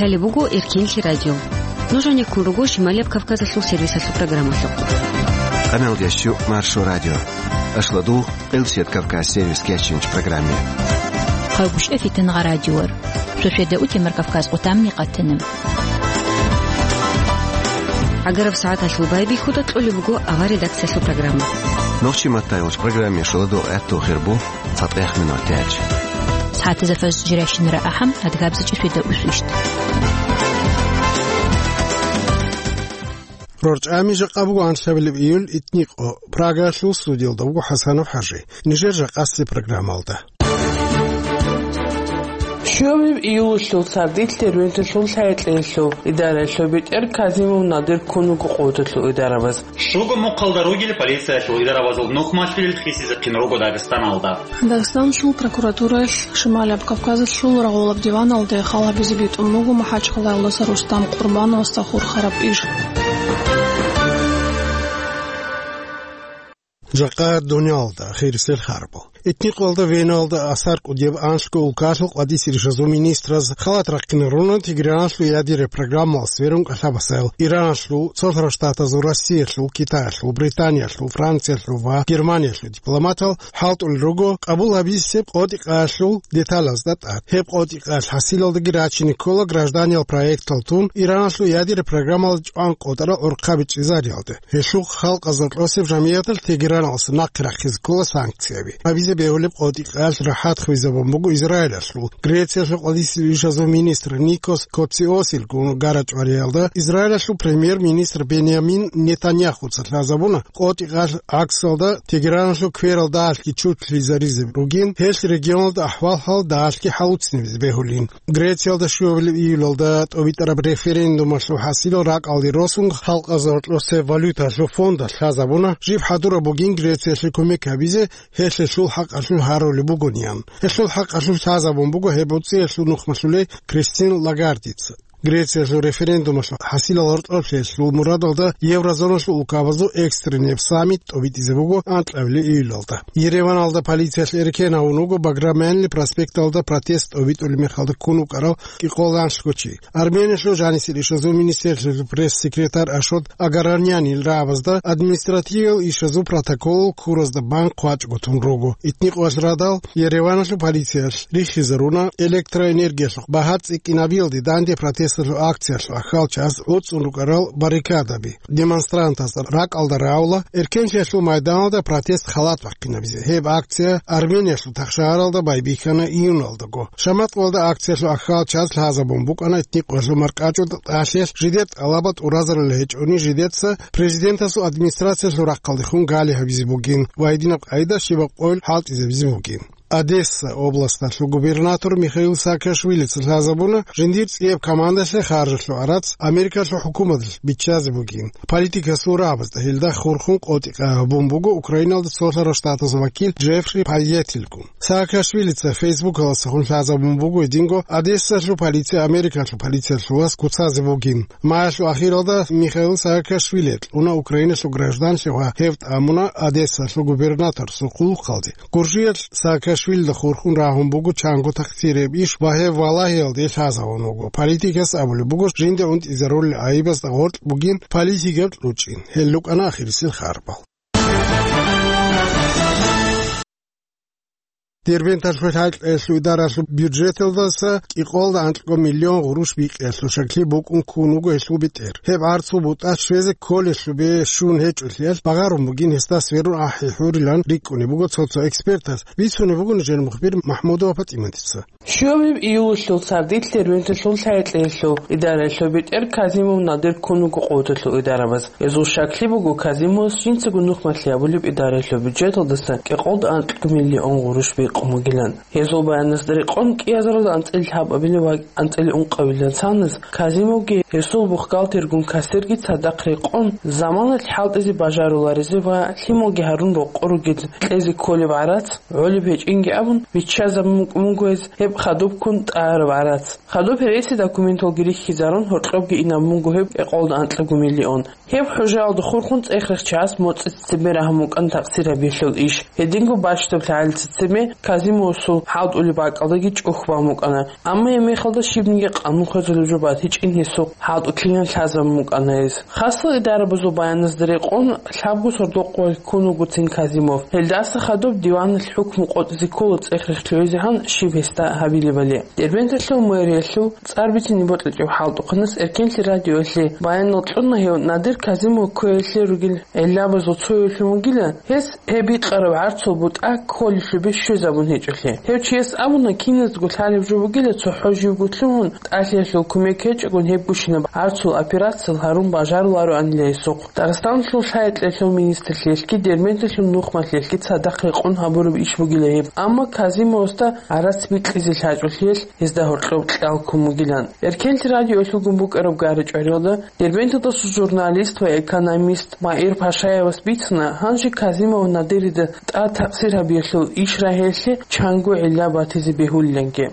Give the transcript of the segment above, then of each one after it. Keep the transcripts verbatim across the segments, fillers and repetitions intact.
Лъалеб буго Эркинлъи радио. Нуж гьаниб ккун руго Шималияб Кавказалъул сервисалъул программалъухъ. Къаналдиясчу Маршо радио. Ашладу, Къилсият Кавказ сервис кечинч программе. Хъавгушев Фитнагъа радиор. Шошеда утемар Кавказ къутамни къатанам. Агараб сагӀаталъул байбихьуда кьолеб буго авар редакциялъул программа. Нохчи маттайулч программе шуладу гӀатту хирбу. ЦатӀехъ минутач. СагӀатазда фажр жирайщинара ахӀам, адгабзачӀи шведа усвищт. РорчӀами жакъа буго анлъабилеб июль итникъо. Прагаялъул студиялда буго ХӀасанов ХӀажи. Нижер жакъасеб программалда. Щуабилеб июлалъул сардилъ Дербенталъул лъагӀетлъиялъул идараялъул бетӀер Казимов Надир ккун вуго къотӀалъул идарабаз. Щуго мухъалда ругел полициялъул идарабазул нухмалъулел хисизехъин руго Дагъистаналда. Дагъистаналъул прокуратураялъ Шималияб Кавказалъул рагъулаб диваналде хал гьабизе битӀун буго МахӀачхъалаялдаса Рустам Къурбановасда хурхараб иш. Жакъа дуниялда хирисел харбал. Этникъоялда Веналда асар кӀудияб анлъго улкалъул къвадисел ришазул министраз халат рахъинаруна Тегераналъул ядераб программалас верун кӀалъабасайил Ираналъул, Цолъарал Штатазул, Россиялъул, Китаялъул, Британиялъул, Франциялъул ва Германиялъул дипломатал хӀалтӀулел руго къабул гьабизесеб къотӀи-къаялъул деталазда тӀад. Гьеб къотӀи-къаялъ хӀасилалдаги рачине ккола гражданиял проектал тун Ираналъул ядераб программалда чӀван къотӀарал гӀурхъаби чӀезариялда. Гьелъухъ халкъазул тӀосеб жамигӀаталъ Тегераналъуса нахъе рахъизе ккола санкцияби. Гьабизе бегьулеб къотӀи-къаялъ рахӀат хвезабун буго Израилалъул. Грециялъул къвадисел ришазул министр Никос Коциосил гун гара-чӀвариялда Израилалъул премьер-министр Бенямин Нетаньяхуца лъазабуна, къотӀи-къаялъ гӀаксалда Тегераналъул кверал дагьалъги чуртлъизаризе ругин, гьелъ регионалда ахӀвал-хӀал дагьалъги хӀалуцинабизе бегьулин. Грециялда щуабилеб июлалда тӀобитӀараб референдумалъул хӀасилал ракӀалде росун, халкъазул гьоркьосеб валюталъул фондалъ лъазабуна, жиб хӀадураб бугин Грециялъе кумек гьабизе, гьелъ гьелъул хӀакъалъулъ гьарулеб бугониан. Гьелъул хӀакъалъулъ лъазабун буго гьеб гӀуцӀиялъул нухмалъулей Кристин Лагардица. Грециялъул референдумалъул хӀасилал гьоркьоблъиялъул мурадалда еврозоналъул улкабазул экстренный саммит тӀобитӀизе буго анкьабилеб июлалда. Ереваналда полициялъ эркен гьавун вуго Баграмянли проспекталда протест тӀобитӀулеб мехалда ккун вукӀарав кӀикъоялда анлъго чи. Армениялъул жанисел ишазул министерствоялъул пресс-секретарь Ашот Агаранянил рагӀабазда административиял ишазул протоколал куразда бан хъвачӀго тун руго. Этникъоялъ радал Ереваналъул полициялъ риххизаруна электроэнергиялъухъ багьа цӀикӀкӀинабиялде данде протесталъул акциялъул ахьалчас гӀуцӀун рукӀарал баррикадаби. Демонстрантазда ракӀалда рагӀула Эркенлъиялъул майданалда протест халат бахъинабизе. Гьеб акция Армениялъул тахшагьаралда байбихьана июналдаго. Шаматкъалда акциялъул ахьалчас лъазабун букӀана этникъоялъул маркӀачӀул тӀалъиялъ жидер тӀалабал тӀуразарулел гьечӀони жидеца президентасул администрациялъул рахъалдехун гали гьабизе бугин ва гьединаб къайда щибаб къойил хӀалтӀизабизе бугин. Одесса областалъул губернатор Михаил Саакашвилица лъазабуна, жиндир цӀияб командалъе харжалъул гӀарац Америкалъул хӀукуматалъ биччазе бугин. Политикасул рагӀабазда гьелда хурхун къотӀи-къагӀа гьабун буго Украиналда цолъарал штатазул вакил Джеффри Пайетилгун. Саакашвилица Фейсбукаласухъун лъазабун буго гьединго Одессалъул полиция Америкалъул полициялъулас куцазе бугин. Маялъул ахиралда Михаил Саакашвили кьуна Украиналъул гражданлъи ва гьев тӀамуна Одессалъул губернаторасул хъулухъалде. Гуржиялъ Саакашвилида хурхун рагьун буго чанго такъсирияб иш ва гьев валагьиялде лъазавун вуго. Политикас абулеб буго, жинда унтӀизарулел гӀайибазда гъоркь бугин политикаб кьучӀин. Гьел рукӀана ахирисел харбал. Дербенталъул хӀалтӀиялъул идаралъул бюджеталдаса кӀикъоялда анкьго миллион гъурущ бикъиялъул шаклъи букӀун ккун вуго гьелъул бетӀер. Гьеб гӀарцул бутӀа щвезе кколелъубе щун гьечӀолъиялъ багъарун бугин гьесда сверун ахӀи хӀурилан рикӀкӀунеб буго цо-цо экспертаз, бицунеб буго нижер мухбир МахӀмудова ПатӀиматица. Щуабилеб июлалъул сардилъ Дербенталъул хӀалтӀиялъул идаралъул бетӀер Казимов Надир ккун вуго къотӀалъул идарабаз. Гьезул шаклъи буго Казимовас жинцаго нухмалъи гьабулеб идаралъул бюджеталдаса кӀикъоялда анкьго миллион гъурущ бикъун бугилан. Гьезул баянасда рекъон кӀиазаралда анцӀила лъабабилеб ва анцӀила ункъабилеб цаназ Казимовги гьесул бухгалтергун кассирги цадахъ рекъон, заманалъ хӀалтӀизе бажаруларизе ва лъималги гьарун рокъор ругел кьезе кколеб гӀарац гӀолеб гьечӀинги абун, биччазабун букӀун буго гьез гьеб хадуб ккун тӀагӀараб гӀарац. Хадуб гьереси документалги рихьизарун, гьоркьобги инабун буго гьеб кӀикъоялда анкьго миллион. Гьеб хӀужаялда хурхун цӀех-рехчияс моцӀица цебе рагьун букӀана такъсир гьабиялъул иш. Гьединго бащдаб лъагӀалица цебе Казимовасул хӀалтӀулеб бакӀалдаги чӀухь бан букӀана. Амма гьеб мехалда щибниги къанун хвезулеб жо батичӀин гьесухъ хӀалтӀулъинан лъазабун букӀана гьес. Хасал идарабазул баяназда рекъон, лъабго сордо къоялъ ккун вугоцин Казимов. Гьелдаса хадуб диваналъ хӀукму къотӀизе ккола цӀех-рехчиязегӀан щиб гьесда гьабилебали. Дербенталъул мэриялъул цӀар бицине бокьичӀеб хӀалтӀухъанас Эркенлъи радиоялъе баянал кьуна гьев Надир Казимов кквеялъе ругел гӀиллабазул цоявлъун вугила, гьес гьеб бикъараб гӀарцул бутӀа кколелъубе щвезабун гьечӀолъи. Гьев чияс абуна, киназдаго лъалеб жо бугила цохӀо живго лъугьун, тӀалъиялъул кумек гьечӀогун гьеб гущинаб гӀарцул операциял гьарун бажарулароанила гьесухъ. Дагъистаналъул лъай-кьеялъул министрлъиялъги Дербенталъул нухмалъиялъги цадахъ рекъон гьабураб иш бугила гьеб, амма Казимовасда гӀарац бикьизе лъачӀолъиялъ гьезда гьоркьоб кьал ккун бугилан. Эркенлъи радиоялъулгун букӀараб гара-чӀвариялда Дербенталдаса журналист ва экономист Маир Пашаевас бицана, гьанже Казимов Надирида тӀад такъсир гьабиялъул иш рагьиялъе чанго гӀилла батизе бегьулиланги.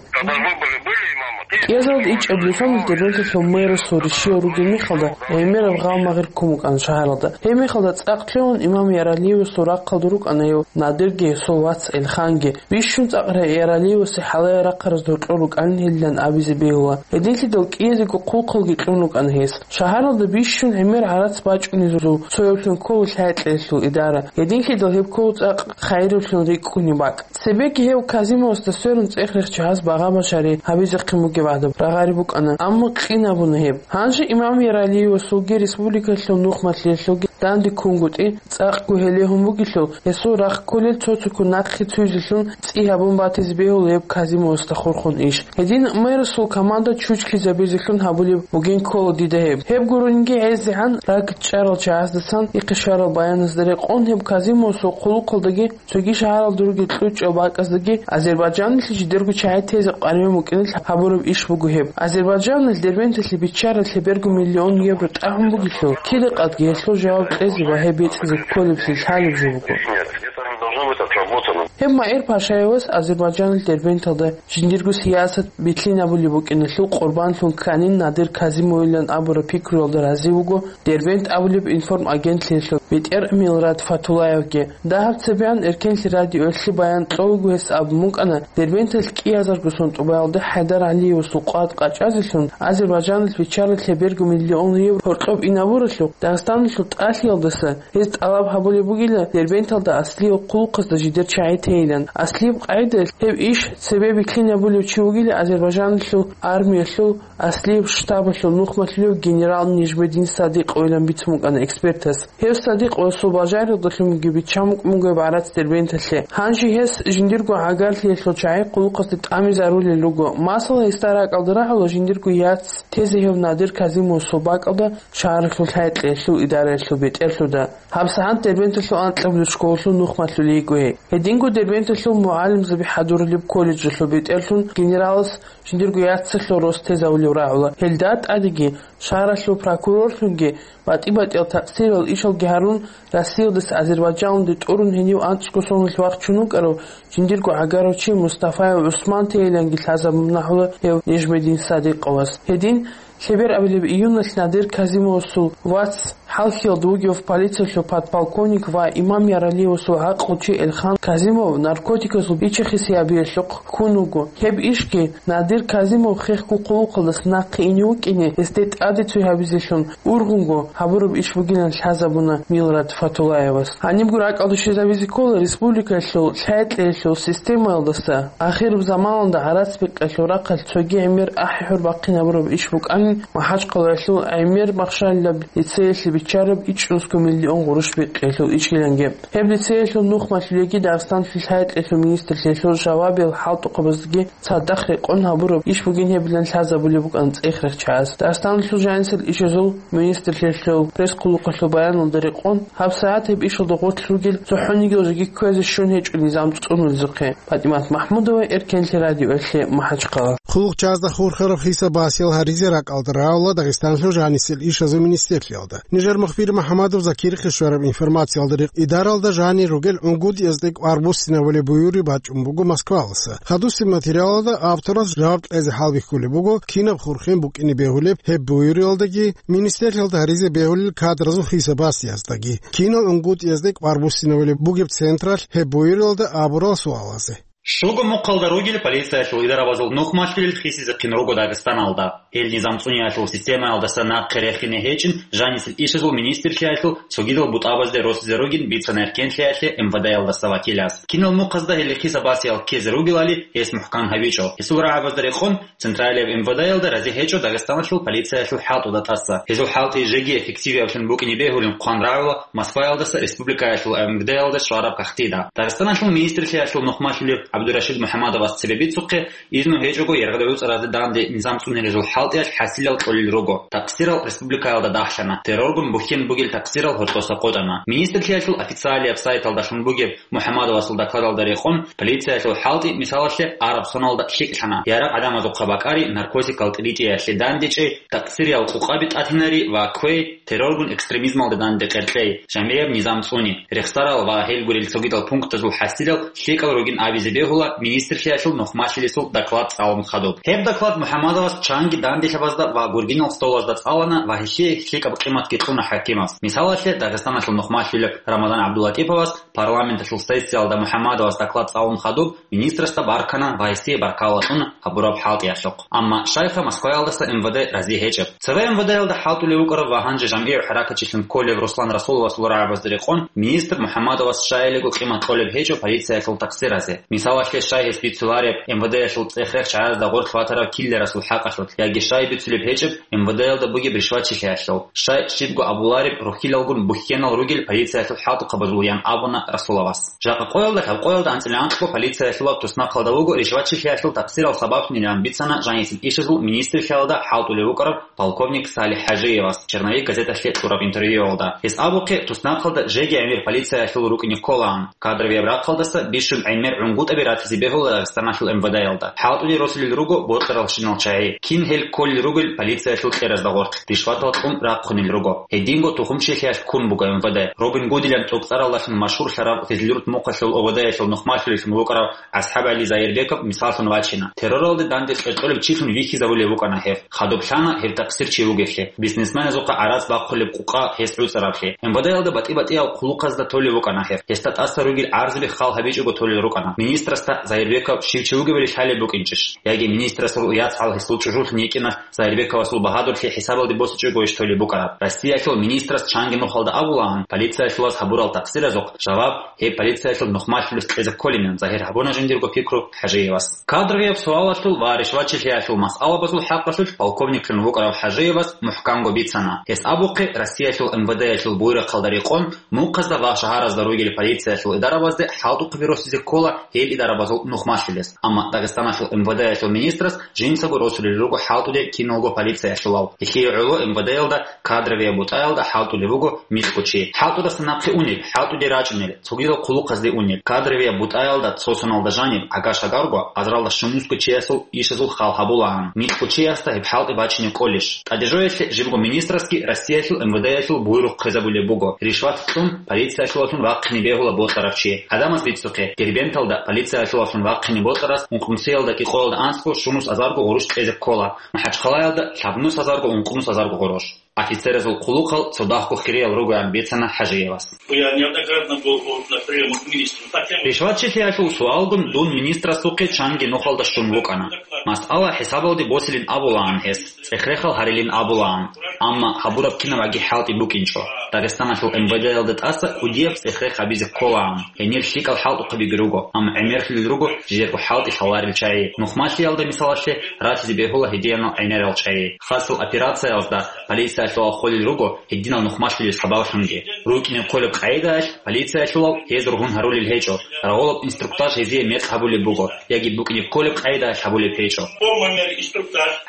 КӀиазалда ичӀабилеб соналъ Дербенталъул мэрасул ришиял ругел мехалда гӀемераб гъалмагъир ккун букӀана шагьаралда. Гьеб мехалда цӀакъ лъугьун имам Яралиевасул рахъалда рукӀана гьев, Надирги гьесул вац Элханги. Бищун цӀакъ Яралиевасе хӀалае рахъараз гьоркьор рукӀанин гьелилан абизе бегьула. Гьединлъидал кӀиязего хъулухъалги кьун рукӀана гьес. Шагьаралда бищун гӀемер гӀарац бачӀунезул цоявлъун ккола лъай-кьеялъул идара. Гьединлъидал гьеб ккола цӀакъ хайираблъун рикӀкӀунеб бакӀ. Цебеги гьев Казимовасда сверун цӀех-рехчияс багъа-башари гьабизехъин бугеб гӀадаб рагъари букӀана, амма къинабуна гьеб. Гьанже имам Яралиевасулги республикалъул нухмалъиялъулги данде ккунгутӀи, цӀакъго гьелегьун бугелъул, гьесул рахъ кколел цо-цоккун нахъе цуйзелъун цӀи гьабун батизе бегьула гьеб Казимовасда хурхун иш. Гьедин мэрасул команда чучкизабизелъун гьабулеб бугин ккола дида гьеб. Гьеб гурунги гӀезегӀан ракӀчӀарал чагӀаздасан ихъе щварал баяназда рекъон гьеб Казимовасул хъулухъалдаги цоги шагьаралда ругел кьучӀал бакӀаздаги Азербайджаналъе жидерго чагӀи тезе къваригӀун букӀиналъ гьабураб иш буго гьеб. Азербайджаналъ Дербенталъе биччаралъе берго миллион евро тӀагьун бугелъул, кида-къадги гьелъул жаваб кьезе ва гьеб бецӀизе кколеблъи лъалеб жо буго. Нет, где-то они должны быть отработаны. Гьеб Маир Пашаевас Азербайджаналъ Дербенталда жиндирго сиясат билълъинабулеб букӀиналъул къурбанлъун кканин Надир Казимовилан абураб пикруялда рази вуго Дербент абулеб информагентлъиялъул бетӀер Милрат Фатулаевги. Дагьаб цебеян Эркенлъи радиоялъе баян кьолаго гьес абун букӀана, Дербенталъ кӀиазарго сон тӀубаялда ХӀайдар ГӀалиевасул къват къачӀазелъун Азербайджаналъ биччаралъе берго миллион евро гьоркьоб инабуралъухъ, Дагъистаналъул тӀалъиялдаса гьез тӀалаб гьабулеб бугила Дербенталда аслияб хъулухъазда жидер чагӀи тейилан. Аслияб къагӀидаялъ гьеб иш цебе билълъинабулев чи вугила Азербайджаналъул армиялъул аслияб штабалъул нухмалъулев генерал Нижмедин Садикъовилан бицун букӀана экспертас. Гьев Садикъовасул бажариялдалъунги биччан букӀун буго гьеб гӀарац Дербенталъе. Гьанже гьес жиндирго гӀагарлъиялъул чагӀи хъулухъазде тӀамизарулел руго. Масала, гьесда ракӀалда рагӀула жиндирго яц тезе гьев Надир Казимовасул бакӀалда шагьаралъул лъай-кьеялъул идараялъул бетӀерлъуда. ГьабсагӀат Дербенталъул анкьабилеб школалъул нухмалъулей йиго гьей. Гьединго Дербенталъул мугӀалимзаби хӀадурулеб колледжалъул бетӀерлъун генералас жиндирго яцалъул рос тезавулев рагӀула. Гьелда тӀадеги шагьаралъул прокурорлъунги батӀи-батӀиял такъсирал ишалги гьарун, Россиялдаса Азербайджаналде тӀурун гьенив анцӀго соналъ вахчун вукӀарав жиндирго гӀагарав чи Мустафаев ГӀусман тейиланги лъазабун нахӀула гьев Нижмедин Садикъовас. Гьедин, лъеберабилеб июналъ Надир Казимовасул вац, хӀалхьиялда вугев полициялъул подполковник ва имам Яралиевасул гӀакълучи Элхан Казимов наркотиказул бичи-хиси гьабиялъухъ ккун вуго. Гьеб ишги Надир Казимов хехго хъулухъалдаса нахъе ине вукӀине, гьесде тӀаде цой гьабизелъун ургъунго гьабураб иш бугилан лъазабуна Милрат Фатулаевас. Гьанибго ракӀалде щвезабизе ккола республикалъул лъай-кьеялъул системаялдаса ахираб заманалда гӀарац бикъиялъул рахъалъ цоги гӀемер ахӀи-хӀур бахъинабураб иш букӀанин МахӀачхъалаялъул гӀемер махщалилаб лицеялъе биччараб ичӀнусго миллион гъурущ бикъиялъул ишиланги. Гьеб лицеялъул нухмалъулейги Дагъистаналъул лъай-кьеялъул министрлъиялъул жавабиял хӀалтӀухъабаздаги цадахъ рекъон гьабураб иш бугин гьебилан лъазабулеб букӀана цӀех-рехчияс. Дагъистаналъул жанисел ишазул министрлъиялъул пресс-хъулухъалъул баяналда рекъон, гьабсагӀат гьеб ишалда гъорлъ ругел цохӀонигиял жеги кквезе щун гьечӀо низам цӀунулезухъе. ПатӀимат МахӀмудова, Эркенлъи радиоялъе, МахӀачхъала. Хъулухъ чазда хурхараб хӀисаб басиял гьаризе ракӀ Алда равла Дагъистанлъул жанисел ишазул министрлъиялда. Нижер мухбир МухӀаммадов Закирихъе щвараб информациялда рекъ идаралда жанир ругел унгутӀиязде кӀвар буссинабулеб буюри бачӀун буго Москваласа. Хадусеб материалалда авторас жаваб кьезе хӀалбихьулеб буго, кинаб хурхен букӀине бегьулеб гьеб буюриялдаги, министрлъиялда гьаризе бегьулел кадразул хӀисабасияздаги. Кинал унгутӀиязде кӀвар буссинабулеб бугеб централъ гьеб буюриялда абурал суалазе. Щуго мухъалда ругел полициялъул идарабазул нухмалъулел хисизехъин руго Дагъистаналда. Гьел низам цӀуниялъул системаялдаса нахъе рехине гьечӀин жанисел ишазул министрлъиялъул цогидал бутӀабазде росизе ругин бицана эркенлъиялъе МВД-ялдаса вакилас. Кинал мухъазда гьел хисабасиял ккезе ругелали гьес мухӀкан гьабичӀо. Гьесул рагӀабазда рекъон, Централияб МВД-ялда рази гьечӀо Дагъистаналъул полициялъул хӀалтӀуда тӀаса. Гьезул хӀалтӀи жеги эффективиявлъун букӀине бегьулин хъван рагӀула Москваялдаса республикаялъул МВД-ялда щвараб кагътида. Дагъистаналъул министрлъиялъул нухмалъулев ГӀабдурашид МухӀаммадовас цебе бицухъе, изну гьечӀого яргъда гӀуцӀаразде данде низам цӀунилезул хӀалтӀиялъ хӀасилал кьолел руго. Такъсирал республикаялда дагьлъана. Терроргун бухьен бугел такъсирал гьоркьоса къотӀана. Министрлъиялъул официалияб сайталдалъун бугеб МухӀаммадовасул докладалда рекъон, полициялъул хӀалтӀи, мисалалъе, араб соналда лъикӀлъана, ярагъ гӀадамазухъа бакӀари, наркотикал тӀиричӀеялъе дандечӀей, такъсириял къукъаби тӀатинари ва квей, терроргун экстремизмалда данде къеркьей, жамгӀияб низам цӀуни, рехсарал ва гьел гурел цогидал пунктазул хӀасилал лъикӀал ругин абизе бегьула министрлъиялъул нухмалъилесул доклад цӀалун хадуб. Гьеб доклад МухӀаммадовас чанги данделъабазда ва гургинал столазда цӀалана ва гьелъие лъикӀаб къиматги кьуна хӀакимас. Мисалалъе, Дагъистаналъул нухмалъулеб Рамадан ГӀабдуллатӀиповас парламенталъул сессиялда МухӀаммадовас доклад цӀалун хадуб, министрасда баркана ва гьесие баркалла кьуна гьабураб хӀалтӀиялъухъ. Амма щайха Москваялдаса МВД рази гьечӀеб. Цеве МВД-ялда хӀалтӀулев вукӀарав ва гьанже жамгӀияв хӀаракатчилъун кколев Руслан Расуловасул рагӀабазда рекъон, министр МухӀаммадовас щайилего къимат кьолеб гьечӀо полициялъул такъсиразе. Мисалалъе, щай гьес бицулареб МВД-ялъул цӀех-рех чагӀазда гъорлъ ватараб киллерасул хӀакъалъулъ, яги щай бицулеб гьечӀеб МВД-ялда бугеб ришватчилъиялъул, щай щибго абулареб рухьилалгун бухьенал ругел полициялъул хӀалтӀухъабазул, ян абуна Расуловас. Жакъа къоялда, лъабкъоялда анцӀила анкьго полициялъулаб туснахъалда вуго ришватчилъиялъул такъсирал сабаблъунилан бицана жанисел ишазул министрлъиялда хӀалтӀулев вукӀарав полковник Салих ХӀажиевас «Черновик» газеталъе кьураб интервьюялда. Гьес абухъе, туснахъалда жеги гӀемер полициялъул рукӀине кколаан. Кадровияб рахъалдаса бищун гӀемер гӀунгутӀаби ратизе бегьула Дагъистаналъул МВД-ялда. ХӀалтӀулел росулел руго бокьаралщинал чагӀи, кин гьел кколел ругел полициялъул кьеразда гъорлъ, ришватал кьун рахъунел руго. Гьединго тухумчилъиялъ ккун буго МВД. Робин Гудилан тӀокӀцӀаралдалъун машгьурлъарав Физлюрт мухъалъул ОВД-ялъул нухмалъулеллъун вукӀарав АсхӀаб ГӀали Заирбеков мисаллъун вачина. Терроралде данде кьеркьолеб чилъун вихьизабулев вукӀана гьев. Хадуб лъана гьев такъсирчи вугевлъи, бизнесменазухъа гӀарац бахъулеб къукъа гьес гӀуцӀараблъи. МВД-ялда батӀи-батӀиял хъулухъазда толев вукӀана гьев. Гьесда тӀаса ругел гӀарзаби хал гьабичӀого толел рукӀана. Министрасда Заирбеков щив чи вугевали лъалеб букӀинчӀищ? Яги министрасул яцгӀал гьесул чӀужулъун йикӀиналъ Заирбековасул багьадурлъи хӀисабалде босичӀогойищ толеб букӀараб? Россиялъул министрас чанги нухалда абулаан, полициялъулас гьабурал такъсиразухъ жаваб гьеб полициялъул нухмалъулес кьезе кколинан загьир гьабуна жиндирго пикру ХӀажиевас. Кадровияб суалалъул ва ришватчилъиялъул масъалабазул хӀакъалъулъ полковниклъун вукӀарав ХӀажиевас мухӀканго бицана. Гьес абухъе, Россиялъул МВД-ялъул буйрахъалда рекъон, мухъазда ва шагьаразда ругел полициялъул идарабазде хӀалтӀухъаби росизе ккола гьел идарабазул нухмалъулес. Амма Дагъистаналъул МВД-ялъул министрас жинцаго росулел руго хӀалтӀулел киналго полициялъулал. Гьелъие гӀоло МВД-ялда кадровияб бутӀаялда хӀалтӀулев вуго микьго чи. ХӀалтӀудаса нахъе унел, хӀалтӀуде рачӀунел, цогидал хъулухъазде унел, кадровияб бутӀаялда цо соналда жаниб гӀага-шагарго, азаралда щунусго чиясул ишазул хал гьабулаан, микьго чиясда гьеб хӀалтӀи бачине кӀолищ? ТӀадежоялъе жибго министрасги Россиялъул МВД-ялъул буйрухъ хъезабулеб буго, ришват кьун полициялъулалъун вахъине бегьула бокьарав чи. Гьадамаз бицухъе, Дербенталда полициялъулалъун вахъине бокьарас ункънусиялда кӀикъоялда анцӀго щунус азарго гъурущ кьезе ккола, МахӀачхъалаялда лъабнус азарго ункънус азарго гъурущ. Офицеразул хъулухъал цо дагьго хириял ругоян бицана ХӀажиевас. Я неоднократно был на приёмах к министру. Ришватчилъиялъул суалгун дун министрасухъе чанги нухалда щун вукӀана. Масъала хӀисабалде босилин абулаан гьес, цӀех-рехал гьарилин абулаан. Амма гьабураб кинаб аги хӀалтӀи букӀинчӀо. Дагъистаналъул МВД-ялда тӀаса кӀудияб цӀех-рех гьабизе кколаан. Гьенир лъикӀал хӀалтӀухъаби руго, амма гӀемерлъулел руго жидерго хӀалтӀи лъаларел чагӀи. Нухмалъиялда, мисалалъе, ратизе бегьула гьединал гӀемерал чагӀи. Хасал операциялда полициялъулал холел руго гьединал нухмалъулел сабаблъунги. РукӀине кколеб къагӀидаялъ полициялъулал гьез ругьун гьарулел гьечӀо, рагъулаб инструктаж гьезие мекъ гьабулеб буго, яги букӀине кколеб къагӀидаялъ гьабулеб гьечӀо.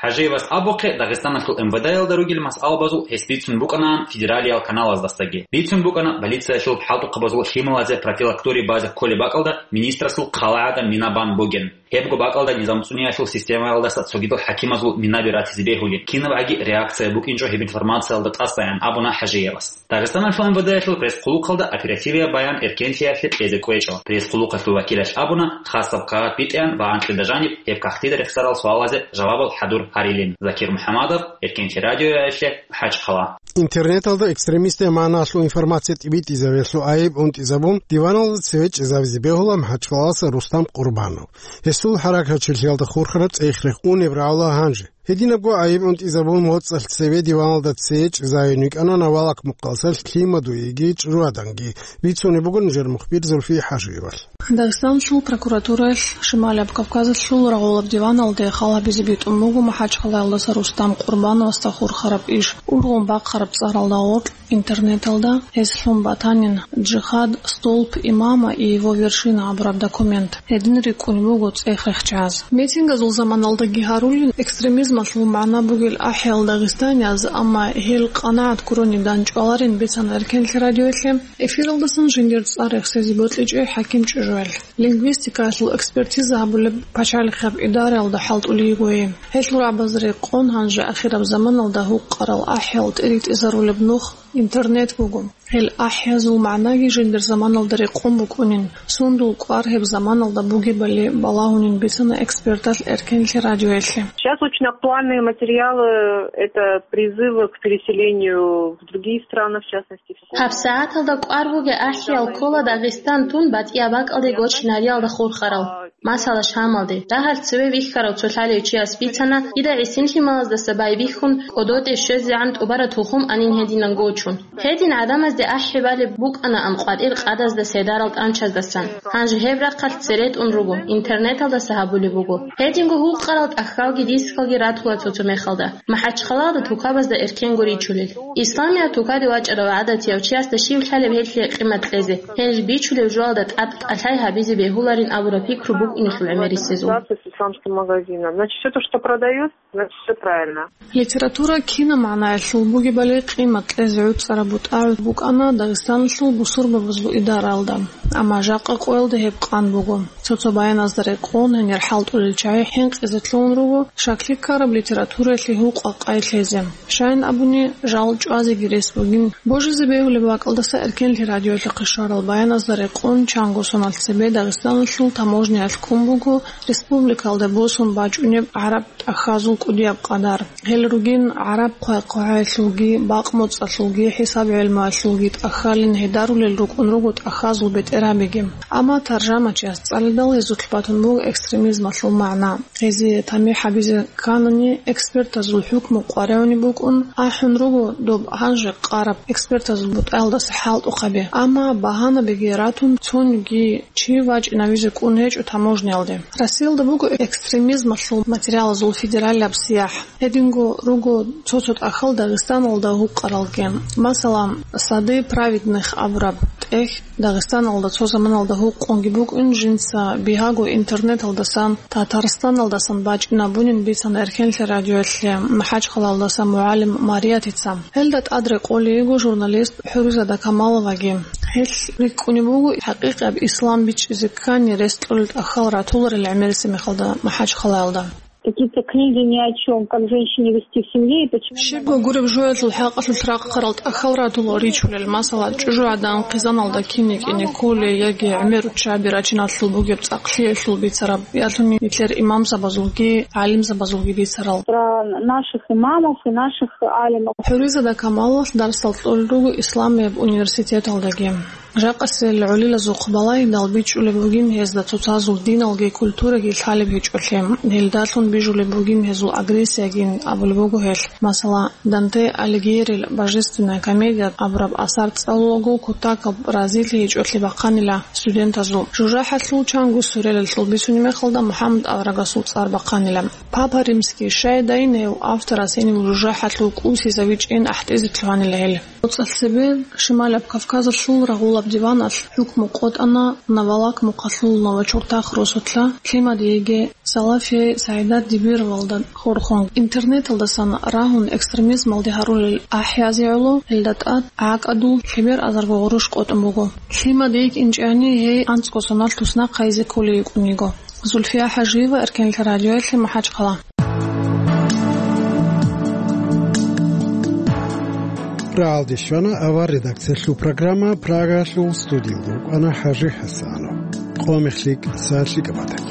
ХӀажиевас абухъе, Дагъистаналъул МВД-ялда ругел масъалабазул гьес бицун букӀанаан федералиял каналаздасаги. Бицун букӀана полициялъул хӀалтӀухъабазул лъималазе профилакторий базе кколеб бакӀалда министрасул хъалаада мина бан бугин. Гьебго бакӀалда низам цӀуниялъул системаялдаса цогидал хӀакимазул минаби ратизе бегьулин, кинабгӀаги реакция букӀинчӀо гьеб информациялда тӀасаян абуна ХӀажиевас. Дагъистаналъул МВД-ялъул пресс-хъулухъалда оперативияб баян эркенлъиялъе кьезе кӀвечӀо. Пресс-хъулухъалъул вакилалъ абуна, хасаб кагъат битӀеян ва анкьида жаниб гьеб кагътида рехсарал суалазе жавабал хӀадур гьарилин. Закир МухӀамадов, Эркенлъи радиоялъе, МахӀачхъала. Интернеталда экстремистиял магӀнаялъул информация тӀибитӀизабиялъул айиб унтӀизабун, диваналда цеве чӀезабизе бегьула МахӀачхъалалъа Рустам Къурбанов. Гьесул хӀаракатчилъиялда хурхараб цӀех-рех унеб рагӀула гьанже. Гьединабго айиб унтӀизабун моцӀалъ цеве диваналда цее чӀезавин вукӀана Навалак мухъалъа Лъимадуеги ЧӀужугӀаданги, бицунеб буго нижер мухбир Зульфия ХӀажиевалъ. Дагъистанлъул прокуратураялъ Шималияб Кавказалъул рагъулаб диваналде хал гьабизе битӀун буго МахӀачхъалаялдаса Рустам Къурбановасда хурхараб иш. Ургъун бахъараб цӀаралда гъоркь интернеталда гьес лъун батанин «Джихад, столб имама и его вершина» абураб документ. Гьедин рикӀкӀунеб буго цӀех-рехчаз. Митингазул заманалдаги гьарулин экстремизмалъул магӀна бугел ахӀиял дагъистанияз, амма гьел къанагӀат гурони данчӀваларин бицана Эркенлъи радиоялъе. Эфиралдасан жиндир цӀар рехсезе бокьичӀеб ХӀаким ЧӀужугӀел. Лингвистикаялъул экспертиза гьабулеб пачалихъаб идараялда хӀалтӀулей йигойи. Гьелъул рагӀабаз рекъон гьанже ахираб заманалда гьукъарал ахӀиял тӀиритӀизарулеб нух интернет буго. Гьел ахӀиязул магӀнаги жиндир заманалда рекъон букӀунин, сундул кӀвар гьеб заманалда бугебали балагьунин бицана эксперталъ Эркенлъи радиоялъе. Сейчас очень актуальные материалы — это призывы к переселению в другие страны, в частности, в Конго. ГьабсагӀаталда кӀвар бугеб ахӀиял ккола Дагъистан тун батӀияб бакӀалде гочинариялда хурхарал. Масала, Шамалде, дагьалъ цеве вихьарав цо лъалев чияс бицана, дида гӀисин лъималаздаса байбихьун, кӀодотӀе щвезегӀан тӀубараб тухум анин гьединан гочун. Гьедин гӀадамазде ахӀи балеб букӀанаан къватӀир къадазда седарал тӀанчаздасан. Гьанже гьеб рахъалъ цере тӀун руго, интернеталдаса гьабулеб буго. Гьединго гьукъарал тӀахьалги дискалги ратула цо-цо мехалда. МахӀачхъалаялда тукабазда эркенго ричулел. Исламияб тукаде вачӀарав гӀадатияв чиясда щив лъалеб гьелъие къимат кьезе, гьел бичулеб жоялда тӀад кӀалъай гьабизе бегьуларин абураб пикру букӀиналъул гӀемерисезул. С исламским магазином. Значит, всё то, что продают, значит, всё правильно. Литература кинаб магӀнаялъул бугебали къимат кьезе гӀуцӀараб бутӀа букӀана Дагъистаналъул бусурбабазул идараялда, амма жакъа къоялда гьеб къан буго. Цо-цо баяназда рекъон гьенир хӀалтӀулел чагӀи хӀинкъизе лъугьун руго, щаклъи ккараб литератураялъе гьукъа-къай лъезе. Щайин абуни, жал чӀвазеги рес бугин. Божизе бегьулеб бакӀалдаса Эркенлъи радиоялъухъе щварал баяназда рекъон чанго соналъ цебе Дагъистаналъул таможняялъ ккун буго республикалде босун бачӀунеб гӀараб тӀахьазул кӀудияб къадар. Гьел ругин гӀараб хъвай-хъвагӀаялъулги, бакъ-моцӀалъулги, хӀисаб-гӀелмуялъулги тӀахьалин гьедарулел рукӀун руго тӀахьазул бетӀергьабиги. Амма таржамачияс цӀалидал гьезулъ батун буго экстремизмалъул магӀна. Гьезие тамихӀ гьабизе кканани, экспертазул хӀукму къваригӀунеб букӀун, ахӀун руго доб гьанже къараб экспертазул бутӀаялдаса хӀалтӀухъаби. Амма багьанабиги ратун, цониги чи вачӀинавизе кӀун гьечӀо таможниялде. Россиялда буго экстремизмалъул материалазул федералияб сияхӀ. Гьединго руго цо-цо тӀахьал Дагъистаналда гьукъаралги. Масала, Сады праведных абураб тӀехь Дагъистаналда цо заманалда гьукъунги букӀин, жинца бигьаго интернеталдасан, Татарстаналдасан бачӀинабунин бицана Эркенлъи радиоялъе МахӀачхъалаялдаса мугӀалим Мариятица. Гьелда тӀад рекъолей йиго журналист ХӀуризада Камаловаги. Гьелъ рикӀкӀунеб буго хӀакъикъияб ислам бичӀчӀизе ккани рес кьолел тӀахьал ратуларел гӀемерисеб мехалда МахӀачхъалаялда. Какие-то книги ни о чём, как женщине вести в семье и почему. Щибго гуреб жоялъул хӀакъалъулъ рахъарал тӀахьал ратула ричулел, масала, чӀужугӀадан хъизаналда кин кӀине кколей яги гӀемер руччаби рачиналъул бугеб цӀакълъиялъул бицараб, ялъуни нилъер имамзабазулги гӀалимзабазулги бицарал. Про наших имамов и наших алимов. ХӀуризада Камаловалъ дарсал кьолел руго Исламияб университеталдаги. Жакъасел гӀолилазухъ балагьидал бичӀчӀулеб бугин гьезда цоцазул диналги культураги лъалеб гьечӀолъи, гьелдалъун бижулеб бугин гьезул агрессиягин абулеб буго гьелъ. Масала, Данте Алигьерил Божественная комедия абураб асар цӀалулаго кутакаб разилъи гьечӀолъи бахъанила студентазул. ЖужахӀалъул чанго сурелалъул бицунеб мехалда МухӀаммад аварагасул цӀар бахъанила. Папа Римский, щай дайин гьев авторас гьенив жужахӀалъул кӀусизавичӀин ахӀтӀизе лъугьанила гьел. НуцӀалъ цебе Шималаб Кавказалъул рагъулаб диваналъ хӀукму къотӀана Навалак мухъалъул Новочуртах росулъа Лъимадиеги Салафие СагӀидат Дибировалда хурхун. Интернеталдасан рагьун экстремизмалде гьарулел ахӀиязе гӀоло гьелда тӀад гӀакӀадул лъебер азарго гъурущ къотӀун буго. Лъимадиеги инчӀани гьей анцӀго соналъ туснахъайзе кколей йикӀун йиго. Зульфия Хажиева, Эркенлъа радиоялъе, МахӀачхъала. РагӀалде щвана авар редакциялъул программа, Прагаялъул студиялда рукӀана ХӀажи ХӀасанов. Къо мехлъи кӀиса лъикӀаб батани.